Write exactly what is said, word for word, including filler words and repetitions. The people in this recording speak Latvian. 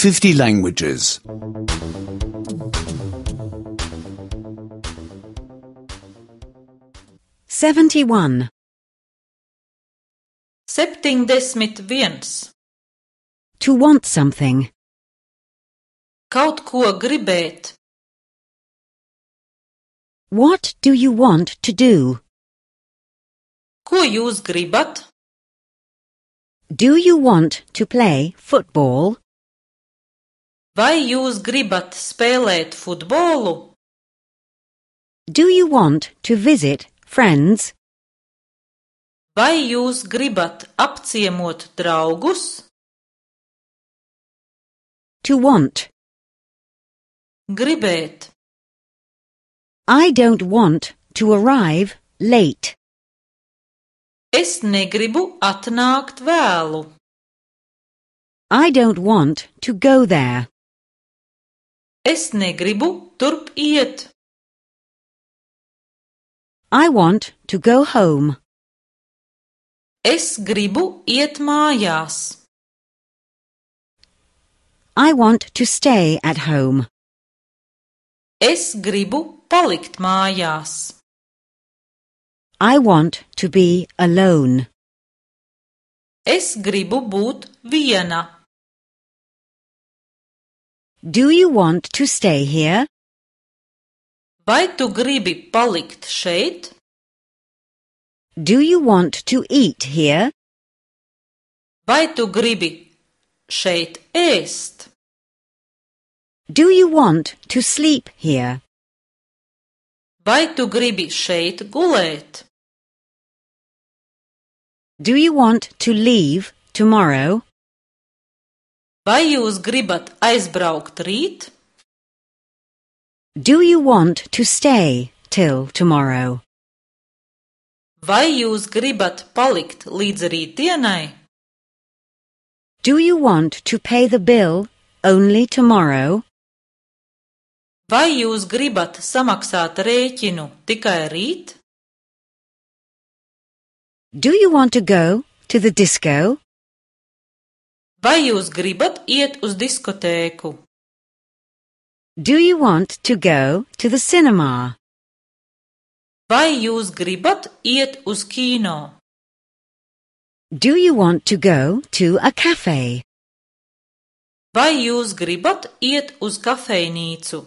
fifty languages. seventy-one. Septiņdesmit viens. To want something. Kaut ko gribēt. What do you want to do? Ko jūs gribat? Do you want to play football? Vai jūs gribat spēlēt futbolu? Do you want to visit friends? Vai jūs gribat apciemot draugus? To want. Gribēt. I don't want to arrive late. Es negribu atnākt vēlu. I don't want to go there. Es negribu turp iet. I want to go home. Es gribu iet mājās. I want to stay at home. Es gribu palikt mājās. I want to be alone. Es gribu būt viena. Do you want to stay here? Vai tu gribi palikt šeit? Do you want to eat here? Vai tu gribi šeit ēst? Do you want to sleep here? Vai tu gribi šeit gulēt? Do you want to leave tomorrow? Vai jūs gribat aizbraukt rīt? Do you want to stay till tomorrow? Vai jūs gribat palikt līdz rītdienai? Do you want to pay the bill only tomorrow? Vai jūs gribat samaksāt rēķinu tikai rīt? Do you want to go to the disco? Vai jūs gribat iet uz diskotēku? Do you want to go to the cinema? Vai jūs gribat iet uz kino? Do you want to go to a cafe? Vai jūs gribat iet uz kafejnīcu?